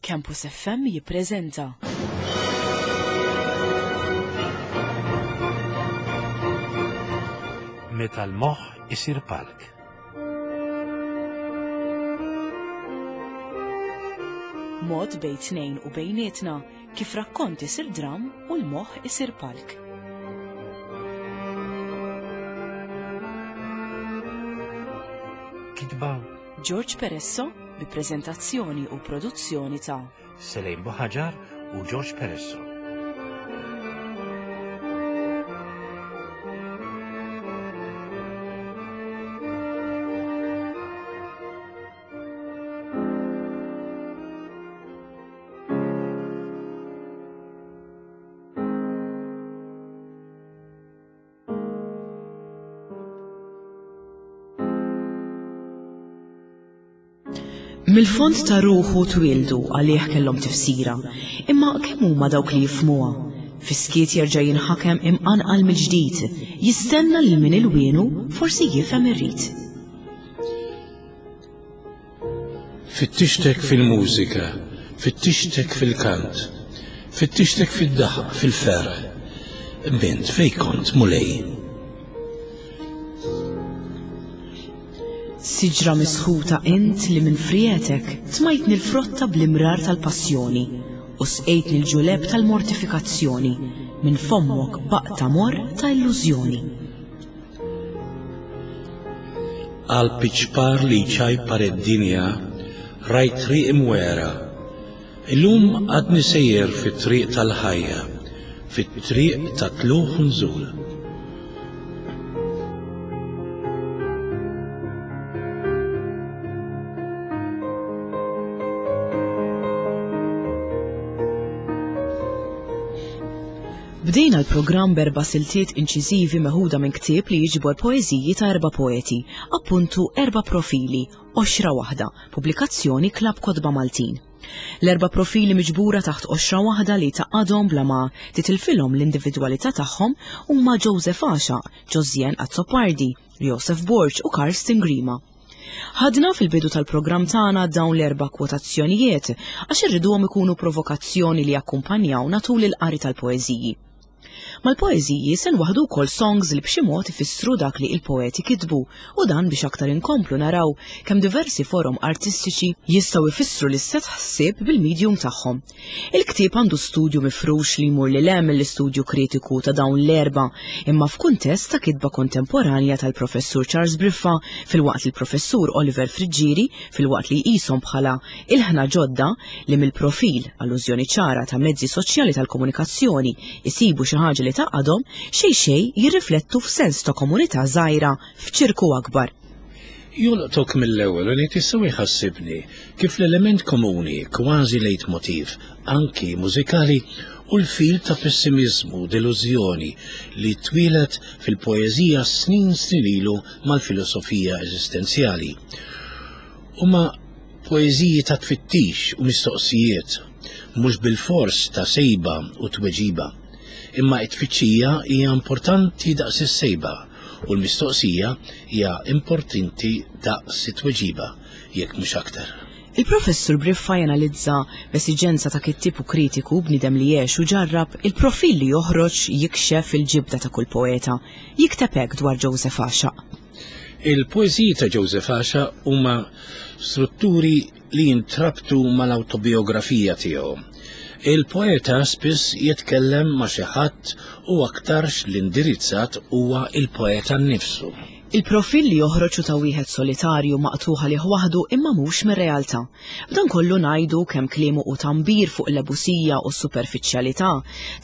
Campus FM jippreżenta. Meta l-moħħ isir palk. Mod bejn tnejn u bejnietna kif rakkont isir dram u l-moħħ isir palk. Kitba George Peresso bi preżentazzjoni u produzzjoni ta' Selejn Buħaġar u George Peresso. Mill-fond ta' ruħu twieldu għalih kellhom tifsira, imma kemm huma dawk li jifhmuha? Fis-skiet jerġa' jinħakem imqanqal mill-ġdid, jistenna lil min ilwienu forsi jifhem ir-rit. Fittixtek fil-mużika, fittixtek fil-kant, fittixtek fid-daħq, fil-ferħ. Bint, fej kont, Mulej? Siġra misħuta int li minn frietek tmajtni l-frotta bl-imrar tal-passjoni u sqejtni l-ġuleb tal-mortifikazzjoni minn fommok baqta morr ta' illużjoni. Qalb iċ-ċpar li jċajpar id-dinja rajt triq imwegħra. Illum għadni sejjer fit-triq tal-ħajja, fit-triq ta' tlugħ u nżul. Bdejna l-programm b'erba' siltiet inċiżivi meħuda minn ktieb li jiġbor poeżiji ta' erba' poeti, appuntu Erba' Profili, Qoxra Waħda, pubblikazzjoni Klabb Kotba Maltin. L-erba' profili miġbura taħt qoxra waħda li tgħaqqadhom bla ma titilfilhom l-individwalità tagħhom huma Joseph Għaxaq, Josianne Azzopardi, Josef Borg u Karsten Grima. Ħadna fil-bidu tal-programm tagħna dawn l-erba' kwotazzjonijiet għax irriduhom ikunu provokazzjoni li jakkumpanjawna tul il-qari tal-poeżiji. Mal-poeżiji se nwaħdu wkoll songs li b'xi mod ifissru dak li il-poeti kitbu u dan biex aktar inkomplu naraw kemm diversi forom artistiċi jistgħu jfissru l-istess ħsieb bil-medium tagħhom. Il-ktieb għandu studju mifrux li jmur lil hemm mill-istudju kritiku ta' dawn l-erba' imma f'kuntest ta' kitba kontemporanja tal-Professur Charles Briffa filwaqt li l-Professur Oliver Friggieri filwaqt li jqishom bħala ilħna ġodda li mill-profil, allużjoni ċara ta' mezzi soċjali tal-komunikazzjoni, isibu xi ħaġa li tgħaqqadhom, xejn xejn jirriflettu f'sens ta' komunità żgħira f'ċirku akbar. Jolqtok mill-ewwel u ngħid issa jħassibni kif l-element komuni, kważi leitmotiv, anki mużikali, hu l-fil ta' pessimiżmu, delużjoni li twieled fil-poeżija snin snin ilu mal-filosofija eżistenzjali. Huma poeżiji ta' tfittix u mistoqsijiet, mhux bilfors ta' sejba u tweġiba. Imma t-tfittxija hija importanti daqs is-sejba. U l-mistoqsija hija importanti daqs it-tweġiba, jekk mhux aktar. Il-Professur Briffa janalizza, b'esiġenza ta' kittieb u kritiku, bniedem li għex u ġarrab, il-profil li joħroġ jikxef il-ġibda ta' kull poeta. Jikteb hekk dwar Joseph Għaxaq. Il-poeżiji ta' Joseph Għaxaq huma strutturi li jintrabtu mal-awtobijografija tiegħu. Il-poeta spiss jitkellem ma' xi ħadd u aktarx l-indirizzat huwa l-poeta nnifsu. Il-profil li joħroġ hu ta' wieħed solitarju maqtugħ għalih waħdu imma mhux mir-realtà. B'dan kollu ngħidu kemm kliemu hu tgħambir fuq l-ebusija u s-superfiċjalità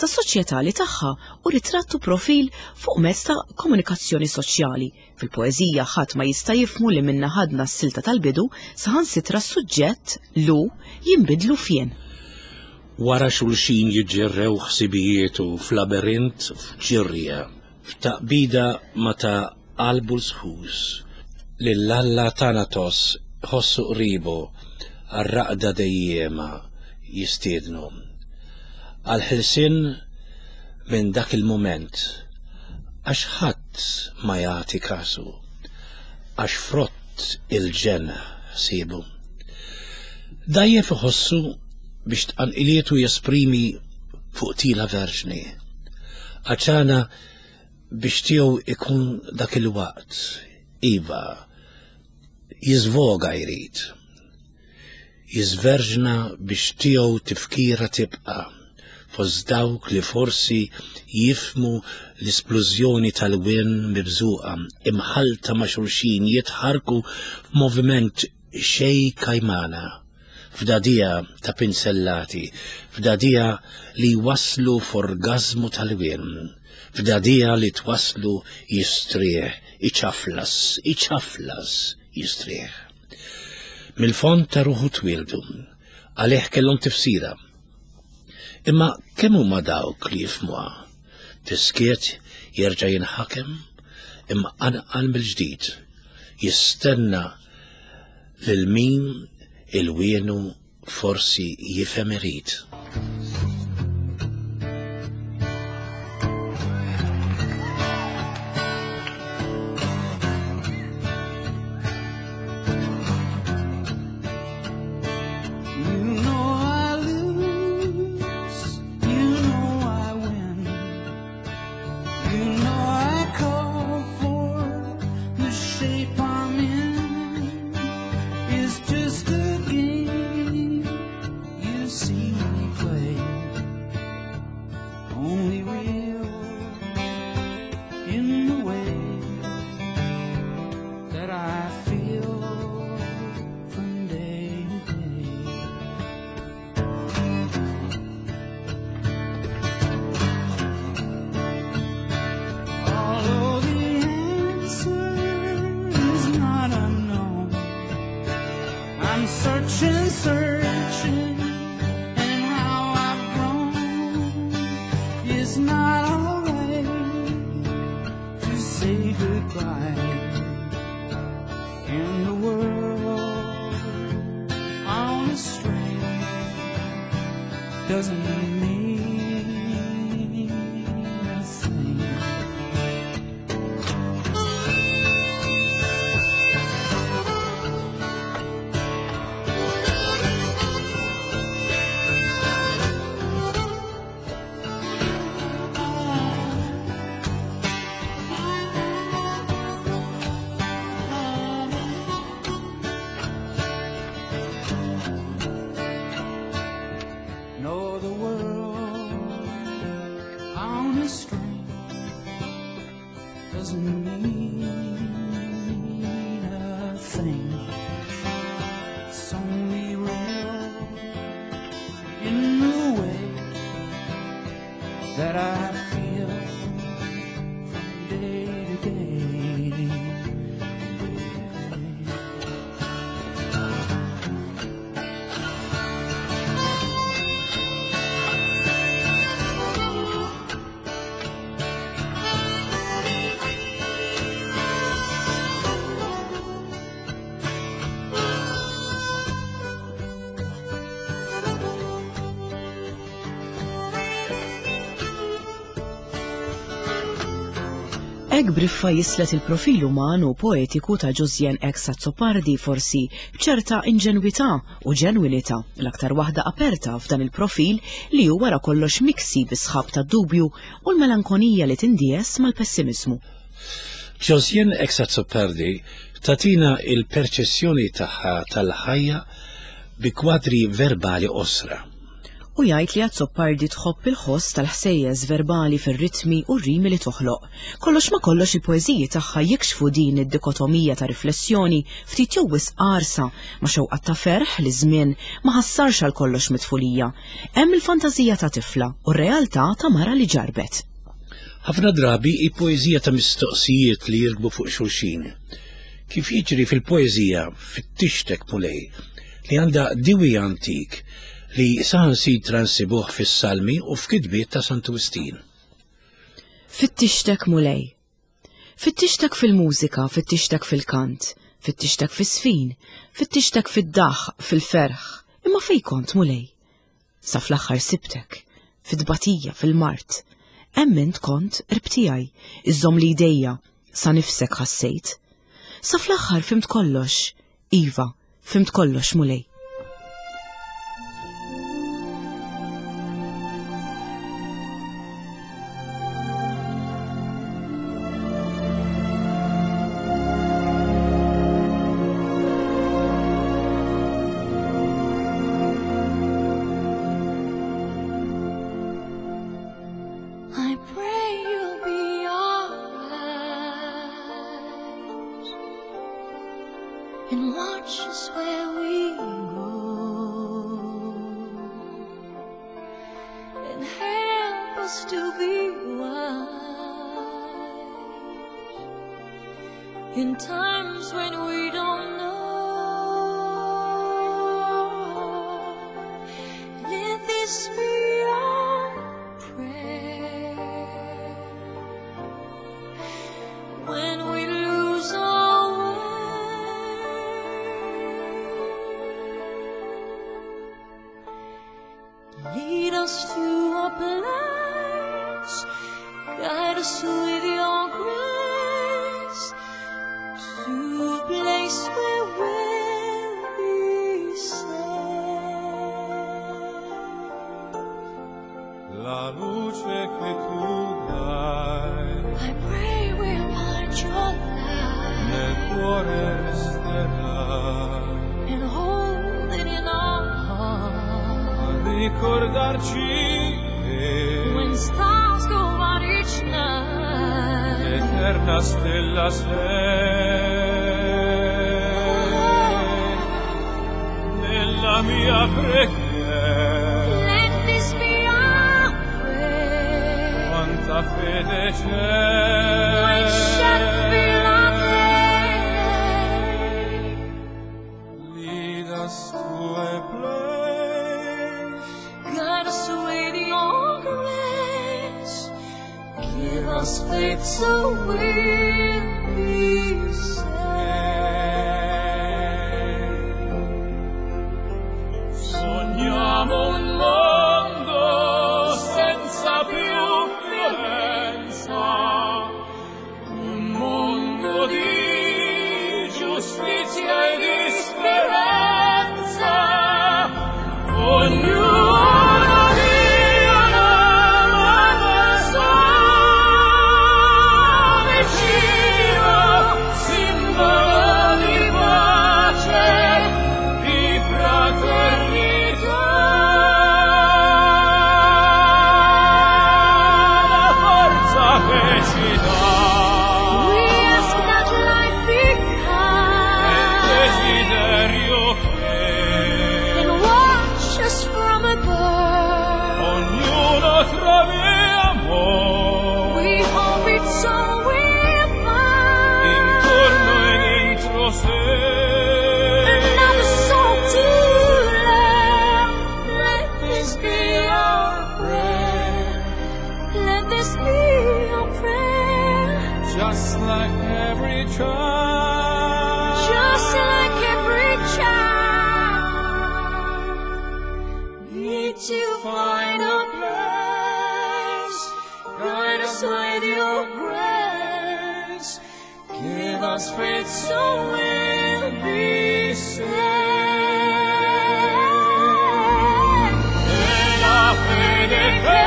ta' soċjetà li tagħha hu ritratt u profil fuq mezz ta' komunikazzjoni soċjali Fil-poeżija ħadd ma jista' jifhmu li minnha ħadna s-silta tal-bidu, saħansitra s-suġġett, l-u, jinbidlu f'jien. Wara xulxin jiġġerrew ħsibijietu f'laberint f'ġirja, f'taqbida ma' ta' qalbu l-sħus. Lil Alla Thanatos iħossu qribu għar-raqda dejjiema jistiednu. Għall-ħelsien minn dak il-mument għax ħadd ma jagħti kasu għax frott il-ġenn ħsiebu. Dgħajjef iħossu. biex tqanqilietu jesprimi fuq tila verġni. Għaċana biex tiegħu ikun dak il-waqt, iva, jiżvoga jrid. Jiżverġna biex tiegħu tifkira tibqa' fost dawk li forsi jifhmu l-isplużjoni tal-wien mibżuqa, imħallta ma' xulxin jitħarrku f'moviment xejn kajmana, f'dagħdigħa ta' pinzellati, f'dagħdigħa li jwasslu f'orgażmu tal-wien, f'dagħdigħa li twasslu jistrieħ, iċaflas, iċaflas, jistrieħ. Mill-fond ta' ruħu twieldu, għalih kellhom tifsira. Imma kemm huma dawk li jifhmuha? Fis-skiet jerġa' jinħakem, imqanqal mill-ġdid, jistenna lil min il-wienu forsi jifhem irid. Doesn't mean a thing. No, the world on a string doesn't mean a thing. It's only real in the way that I feel from day to day. Hekk Briffa jislet il-profil uman u poetiku ta' Josiane X. Azzopardi forsi b'ċerta inġenwità u ġenwinità, l-aktar waħda aperta f'dan il-profil li hu wara kollox miksi bi sħab ta' dubju u l-melankonija li tindies mal-pessimiżmu. Josiane X. Azzopardi tagħtina il-perċezzjoni tagħha tal-ħajja bi kwadri verbali qosra. U jgħid li Azzopardi tħobb il-ħoss tal-ħsejjes verbali fir-ritmi u r-rimi li toħloq. Kollox ma kollox il-poeżiji tagħha jikxfu din id-dikotomija ta' riflessjoni ftit jew wisq qarsa ma' xewqat ta' ferħ li żmien ma ħassarx għal kollox mit-tfulija. Hemm il-fantażija ta' tifla u r-realtà ta' mara li ġarrbet. Ħafna drabi hi poeżija ta' mistoqsijiet li jirkbu fuq xulxin. Kif jiġri fil-poeżija Fittixtek Mulej, li għandha diwi antik li saħansitra nsibuh fis-Salmi u f'kitbiet ta' Santu Wistin. Fittixtek Mulej. Fittixtek fil-mużika, fittixtek fil-kant, fittixtek fis-sfin, fittixtek fid-daħq, fil-ferħ, imma fejn kont Mulej? Sa fl-aħħar sibtek, fit-tbatija, fil-mard. Hemm int kont qrib tiegħi, iżżommli jdejja, sa nifsek ħassejt. Sa fl-aħħar fhimt kollox, iva, fhimt kollox Mulej. Watch us where we go and help us to be wise in times when we don't know. Let this be our prayer when we lose our way. Lead us to a place, guide us with your grace, to a place where we'll be safe. La luce che tu dai I pray we'll find your light nel cuore resterà and hold it in our heart. a ricordarci che When stars go out each night, l'eterna stella sei nella mia preghiera. let this be our prayer. Quanta fede c'è When shadows fill our day, Lead us to a place guide us with your grace. Give us faith so we'll be safe. Sogniamo un mondo senza più violenza, un mondo di giustizia e di speranza. Ognuno dia la mano sua vicino, simbolo di pace, di fraternità. La forza che ci dà We ask that life be è il kind desiderio che and watch us from above. ognuno trovi amore We hope it's all we'll find. intorno e dentro sé. Another soul to love. Let this be our prayer. Let this be our prayer. Just like every child. Just like every child, need to find a place. Guide us with your grace. Give us faith so we'll be saved. E la fede che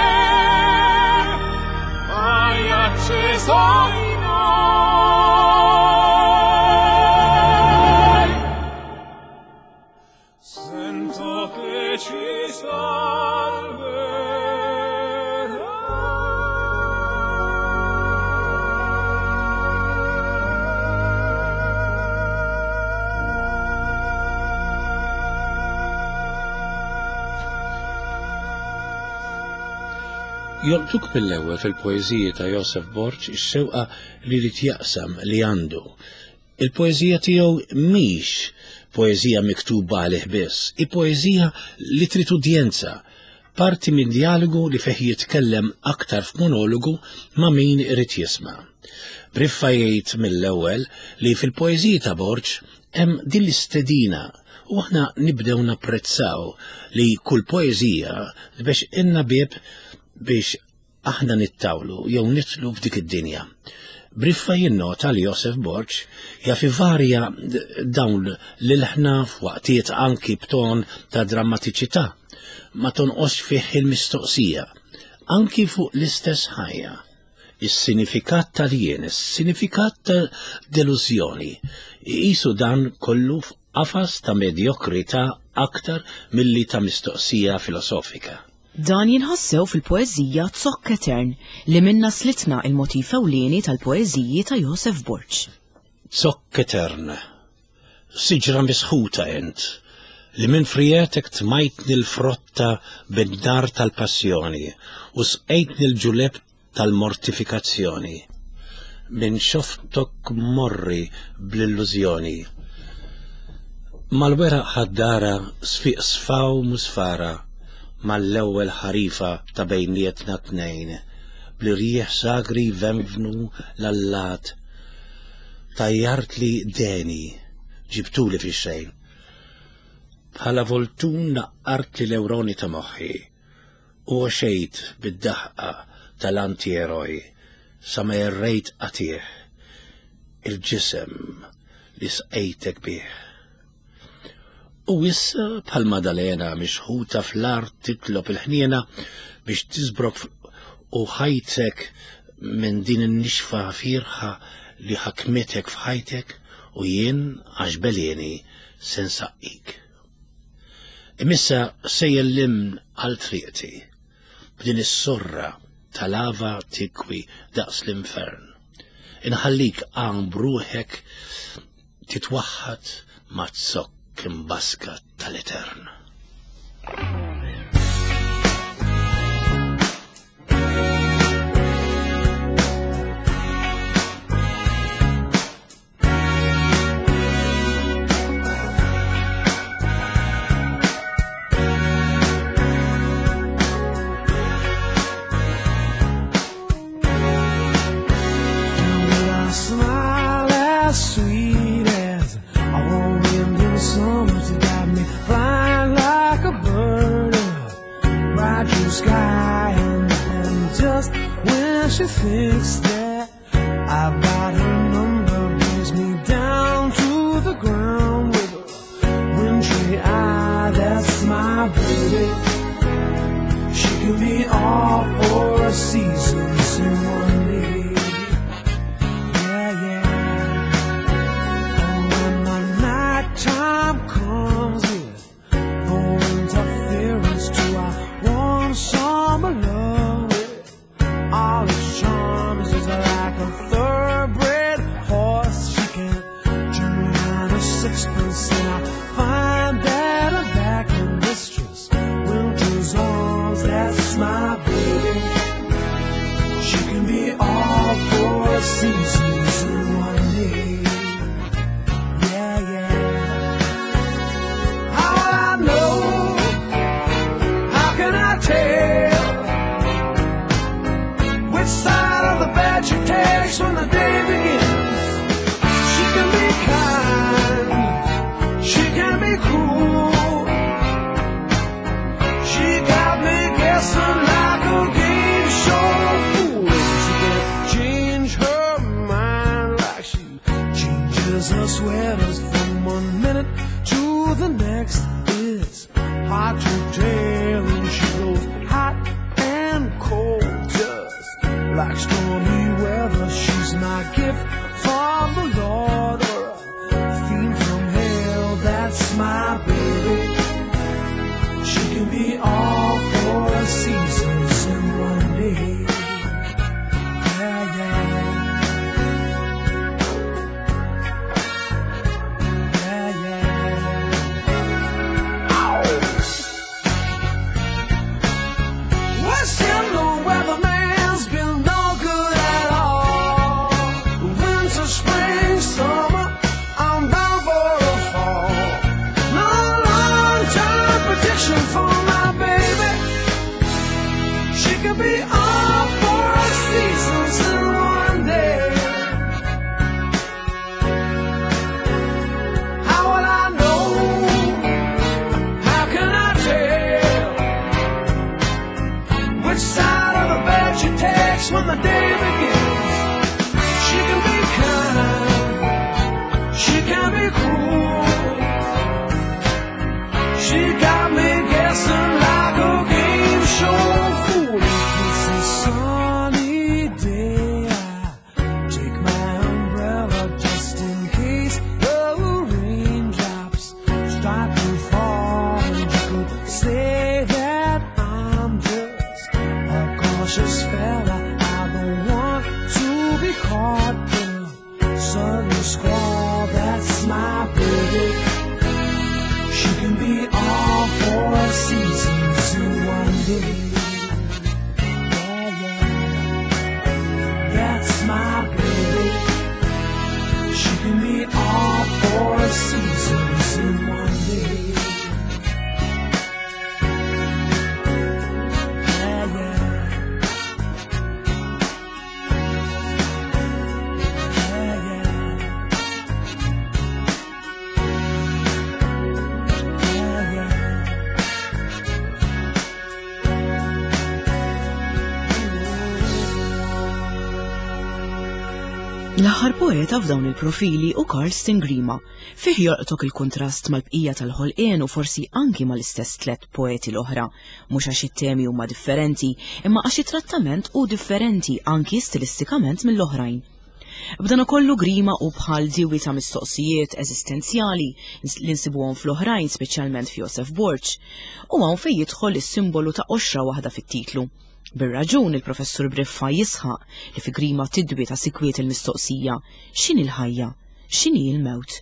hai acceso in noi. Sento che ci salverà. Jolqtuk mill-ewwel fil-poeżiji ta' Josef Borg ix-xewqa li jrid jaqsam li għandu. Il-poeżija tiegħu mhix poeżija miktuba għalih biss, hi poeżija li trid udjenza, parti minn dialogu li fih jitkellem aktar f'monologu ma' min irid jisma'. Briffa jgħid mill-ewwel li fil-poeżiji ta' Borg hemm din l-istedina u aħna nibdew napprezzaw li kull poeżija biex inna bieb biex aħna nittawlu jew nitlu f'dik id-dinja. Briffa jinnota li Josef Borg jaf ivarja dawn l-ilħna f'waqtiet anki b'ton ta' drammatiċità, ma tonqosx fih il-mistoqsija, anki fuq l-istess ħajja. Is-sinifikat tal-jien, is-sinifikat ta' delużjoni, iqisu dan kollu f'qafas ta' medjokrità aktar milli ta' mistoqsija filosofika. Dan jinħassew fil-poeżija Zokk Etern li minna slitna il-motif ewlieni tal-poeżiji ta' Josef Borg. Zokk Etern. Siġra misħuta int, li minn frijetek tmajtni l-frotta bin-nar tal-passjoni u sqejtni l-ġuleb tal-mortifikazzjoni. Minn xoftok morri bl-illużjoni. Mal-weraq ħaddara sfiq sfaw musfara mal-ewwel ħarifa ta' bejnietna t-tnejn, bl-irjieħ sagri jvenvnu l-allat. Tajjartli deni, ġibtuli fix-xejn. Bħala voltun naqqartli l-ewroni ta' moħħi u għoxejt bid-daħqa tal-anti-eroj sa ma jerrejt qatigħ il-ġisem li sqejtek bih. U issa bħal Madalena mixħuta fl-art titlob il-ħniena biex tiżbrok u ħajtek minn din in-nixfa fierħa li ħakmitek f'ħajtek u jien għax belieni se nsaqqik. Imissa sejjer l-imn għal triqti b'din is-sorra ta' lava tikwi daqs l-infern. Inħallik għan bruħek titwaħħad ma' zokk imbaska tal-etern. Smile as sweet as a warm wind in summer. She got me flying like a bird in bright blue sky. And just when she thinks that I've got her number, brings me down to the ground with a wintry eye. That's my baby. She can be all four seasons in one day. Yeah, yeah. And when the nighttime comes with no interference to our warm summer love, all its charms is like a thoroughbred horse. She can turn out a sixpence, and I find that I'm back in Mistress Winter's arms. That's my baby. She can be all four seasons in one day. Yeah, yeah. How will I know? How can I tell? Which side of the bed she takes when the day begins? She can be kind, she can be cruel. She got me guessing like a game show fool. She can change her mind like she changes her sweaters from one minute to the next. It's hard to tell, and she goes hot and cold just like stormy weather. She's my gift from the Lord or a fiend from hell. That's my baby. She can be all four seasons in one day. Yeah, yeah. Yeah, yeah. Ow! West End, the weatherman's been no good at all. Winter, spring, summer, I'm bound for a fall. No long-term prediction for my baby. She could be all four seasons in one day. How will I know? How can I tell? Which side of the bed she takes when the day begins? She can be kind, she can be cruel. She got me guessing like a game show fool. If it's a sunny day, I take my umbrella just in case the raindrops start to fall. And you could say that I'm just a cautious fella. I don't want to be caught in a sudden squall. That's my baby. L-aħħar poeta f'dawn il-profili hu Karsten Grima. Fih jolqtok il-kuntrast mal-bqija tal-ħolqien u forsi anki mal-istess tlett poeti l-oħra. Mhux għax it-temi huma differenti, imma għax it-trattament hu differenti anki stilistikament mill-oħrajn. B'dan kollu Grima hu bħal diwi ta' mistoqsijiet eżistenzjali li nsibuhom fl-oħrajn speċjalment f'Josef Borg. U hawn fejn jidħol is-simbolu ta' qoxra waħda fit-titlu. Bir-raġun il-Professur Briffa jisħaq li fi Grima tidwi ta' sikwiet il-mistoqsija x'inhi l-ħajja, x'inhi l-mewt.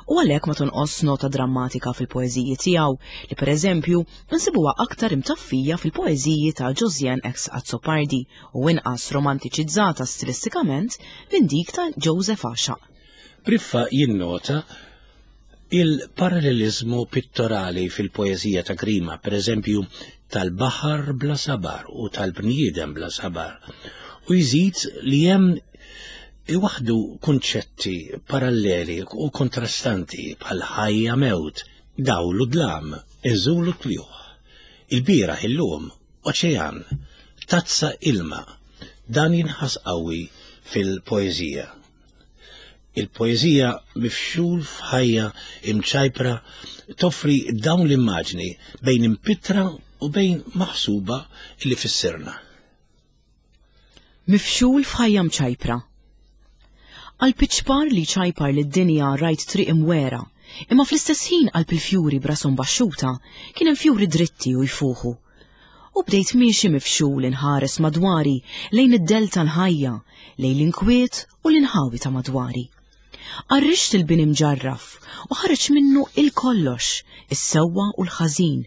U għalhekk ma tonqos nota drammatika fil-poeżiji tiegħu li pereżempju nsibuha aktar imtaffija fil-poeżiji ta' Josiane X. Azzopardi u inqas romantiċizzata stilistikament minn dik ta' Joseph Għaxaq. Briffa jinnota il-paralleliżmu pittorali fil-poeżija ta' Grima, pereżempju tal-baħar bla sabar u tal-bniedem bla sabar, u jżid li hemm iwaħdu kunċetti paralleli u kontrastanti bħal ħajja mewt, dawl u dlam, inżul u tljuħ, il-bieraħ illum, oċean, tazza ilma. Dan jinħass qawwi fil-poeżija. Il-poeżija Mifxul f'ħajja imċajpra toffri dawn l-immaġni bejn impittra u bejn maħsuba li fissirna. Mifxul f'ħajja mċajpra. Qalb iċ-ċpar li jċajpar lid-dinja rajt triq imwegħra, imma fl-istess ħin qalb il-fjuri b'rashom baxxuta kien hemm fjuri dritti u jfuħu. U bdejt miexi mifxul inħares madwari lejn id-dell tal-ħajja, lejn l-inkwiet u l-inħawi ta' madwari. Qarrixt il-bini mġarraf u ħareġ minnu il-kollox, is-sewwa u l-ħażin,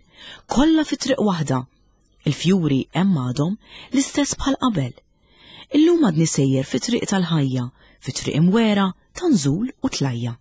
kollha fi triq waħda. Il-fjuri hemm għadhom l-istess bħal qabel. Illum għadni sejjer fi triq tal-ħajja, fi triq imwera ta' nżul u tlajja.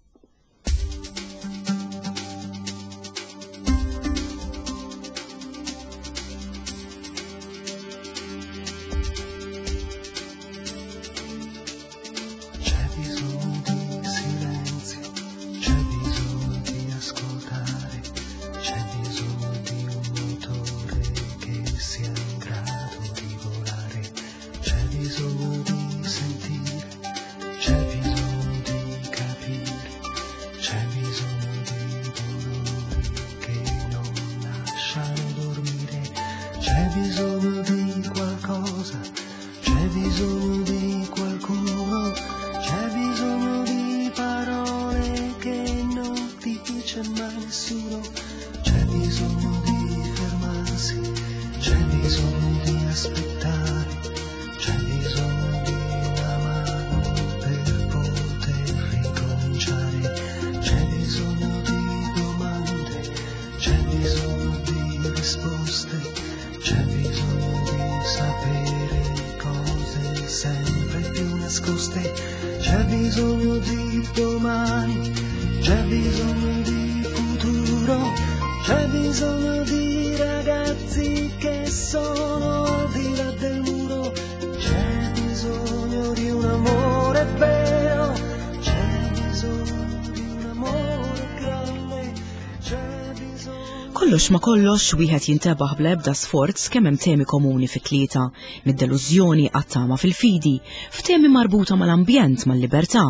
Kollox ma kollox wieħed jintebaħ bla ebda sforz kemm hemm temi komuni fit-tlieta, mid-delużjoni għat-tama fil-fidi, f'temi marbuta mal-ambjent, mal-libertà,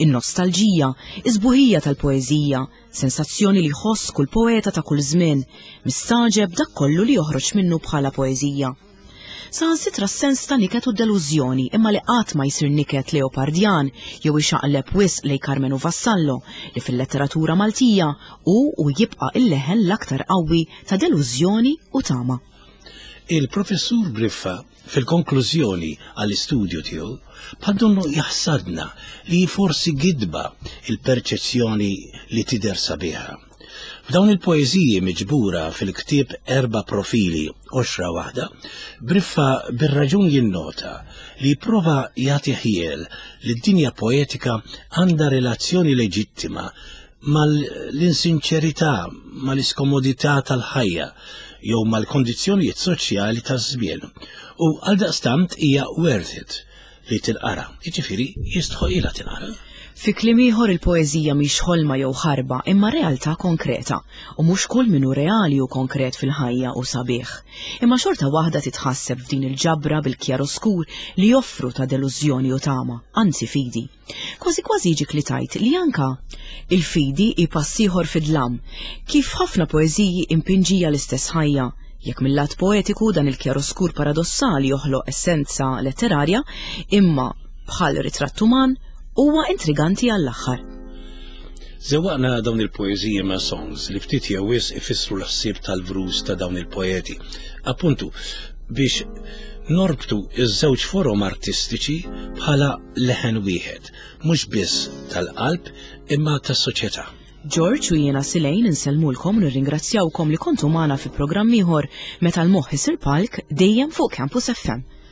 in-nostalġija, is-sbuħija tal-poeżija, sensazzjoni li jħoss kull poeta ta' kull żmien, mistagħġeb dak kollu li joħroġ minnu bħala poeżija. Saħansitra s-sens ta' niket u delużjoni imma li qatt ma jsir niket Leopardjan jew ixaqleb wisq lejn Karmenu Vassallo li fil-letteratura Maltija hu u jibqa' il-leħen l-aktar qawwi ta' delużjoni u tama. Il-Professur Briffa fil-konklużjoni għall-istudju tiegħu bħal donnu jaħsadna li forsi gidba il-perċezzjoni li tidher sabiħa. F'dawn il-poeżiji miġbura fil-ktieb Erba' Profili, Qoxra Waħda, Briffa bir-raġun jinnota li jipprova jagħti ħjiel li d-dinja poetika għandha relazzjoni leġittima mal-insinċerità, mal-iskomodità tal-ħajja jew mal-kondizzjonijiet soċjali taż-żmien u għaldaqstant hija worth it li tinqara, jiġifieri jistħoqilha tinqara. Fi kliem ieħor il-poeżija mhix ħolma jew ħarba imma realtà konkreta u mhux kull min hu reali u konkret fil-ħajja hu sabiħ. Imma xorta waħda titħasseb f'din il-ġabra bil-kjaroskur li joffru ta' delużjoni u tama, anzi fidi. Kważi kważi jiġik li tgħid li anka il-fidi hi pass ieħor fid-dlam, kif ħafna poeżiji impinġija l-istess ħajja. Jekk mil-lat poetiku dan il-kjaroskur paradossali joħloq essenza letterarja, imma bħal ritratt uman, huwa intriganti għall-aħħar. Żewwaqna dawn il-poeżiji ma' songs li ftit jew wisq ifissru l-ħsieb tal-vrus ta' dawn il-poeti. Appuntu, biex norbtu iż-żewġ forom artistiċi bħala leħen wieħed, mhux biss tal-qalb imma tas-soċjetà. George u jiena Silejn insellmulkom u nirringrazzjawkom li kontu magħna fi programm ieħor meta l-moħħ isir palk dejjem fuq Campus FM.